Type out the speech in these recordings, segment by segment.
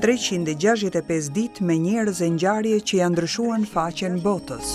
365 ditë me njerëz e ngjarje që ia ndryshuan faqen botës.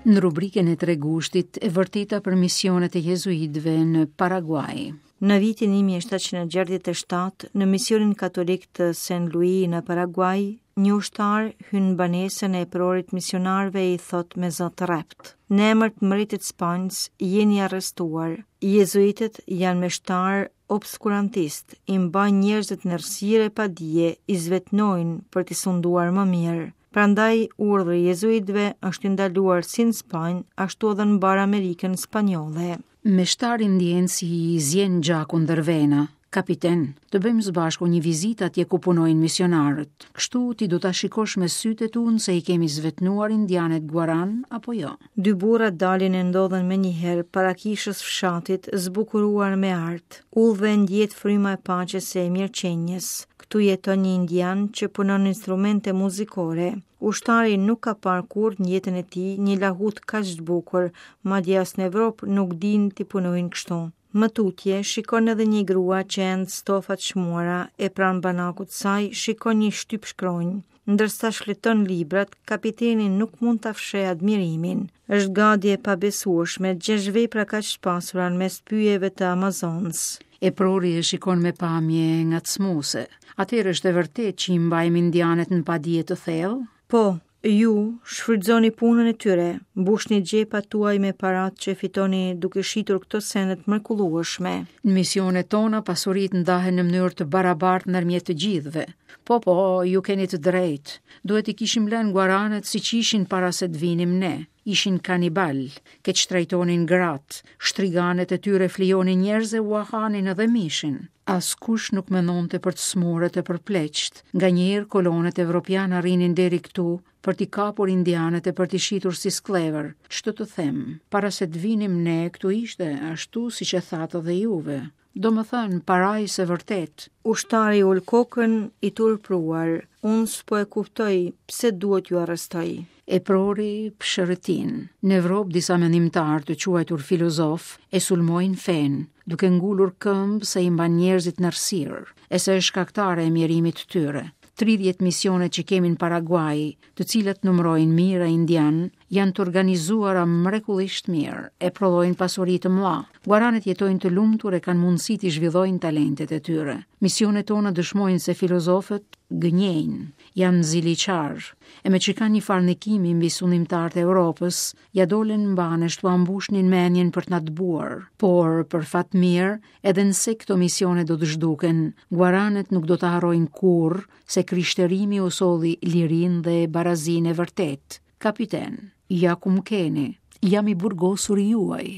Në rubrikën e 3 gushtit, e vërteta për misionet e jezuitëve në Paraguaj. Në vitin 1767, në misionin katolik të Saint Louis në Paraguaj, një ushtar hyn në banesën e eprorit misionarëve e i thotë me zë të rreptë. Në emër të mbretit Spanjës, jeni arrestuar. Jezuitët janë meshtarë obskurantistë, i mbajnë njerëzit në errësirë e padije, i zvetënojnë për t'i sunduar më mirë. Prandaj, urdhri i jezuitëve është i ndaluar si në Spanjë, ashtu edhe në mbarë Amerikën spanjolle. Meshtari ndjen si i zien gjaku ndër vena. Kapiten, të bëjmë së bashku një vizitë atje ku punojnë misionarët. Kështu ti do ta shikosh me sytë e tu nëse i kemi zvetënuar indianët guaran apo jo. Dy burrat dalin e ndodhen menjëherë para kishës fshatit, zbukuruar me art. Udhëve ndjehet fryma e paqes e mirëqenies. Këtu jeton një indian që punon instrumente muzikore. Ushtari nuk ka parë kurrë në jetën e tij një lahutë kaq të bukur, madje as në Evropë nuk dinë t'i punojnë kështu. Më tutje, shikon edhe një grua që end stofa të çmuara e pranë banakut të saj shikon një shtypshkronjë. Ndërsa shfleton librat, kapiteni nuk mund ta fshehë admirimin. Është gati e pabesueshme të gjesh vepra kaq të pasura në mes pyjeve të Amazonës. Eprori e shikon me pamje ngacmuese. Atëherë është e vërtetë që i mbajmë indianët në padije të thellë? Po, ju shfrytëzoni punën e tyre, mbushni xhepat tuaj me paratë që fitoni duke shitur këto sende të mrekullueshme. Në misionet tona pasuritë ndahen në mënyrë të barabartë ndërmjet të gjithëve. Po, po, ju keni të drejtë. Duhet t'i kishim lënë guaranët siç ishin para se të vinim ne. Ishin kanibalë, keqtrajtonin gratë, shtriganet e tyre flijonin njerëz e ua hanin edhe mishin. Askush nuk mendonte për të sëmurët e për pleqtë. Nganjëherë kolonët evropianë arrinin deri këtu për t'i kapur indianët e për t'i shitur si skllevër. Ç'të të them, para se të vinim ne këtu ishte ashtu siç e thatë dhe juve. Domethënë, parajsë e vërtetë. Ushtari ul kokën i turpëruar. Unë s'po e kuptoj pse duhet t'ju arrestoj. Eprori psherëtin. Në Evropë disa mendimtarë të quajtur filozofë e sulmojnë fenë, duke ngulur këmbë se i mban njerëzit në errësirë, e se është shkaktare e mjerimit të tyre. 30 misionet që kemi në Paraguaj, të cilat numërojnë mijëra indianë, janë të organizuara mrekullisht mirë e prodhojnë pasuri të mëdha. Guaranët jetojnë të lumtur e kanë mundësi t'i zhvillojnë talentet e tyre. Misionet tona dëshmojnë se filozofët gënjejnë, janë ziliqarë, e meqë kanë një farë ndikimi mbi sundimtarët e Europës, ia dolën mbanë e t'ua mbushnin mendjen për të na dëbuar. Por, për fat mirë, edhe nëse këto misione do të zhduken, guaranët nuk do të harrojnë kurrë se krishterimi u solli lirinë dhe barazinë e vërtetë. Kapiten, ja ku më keni, jam i burgosuri juaj.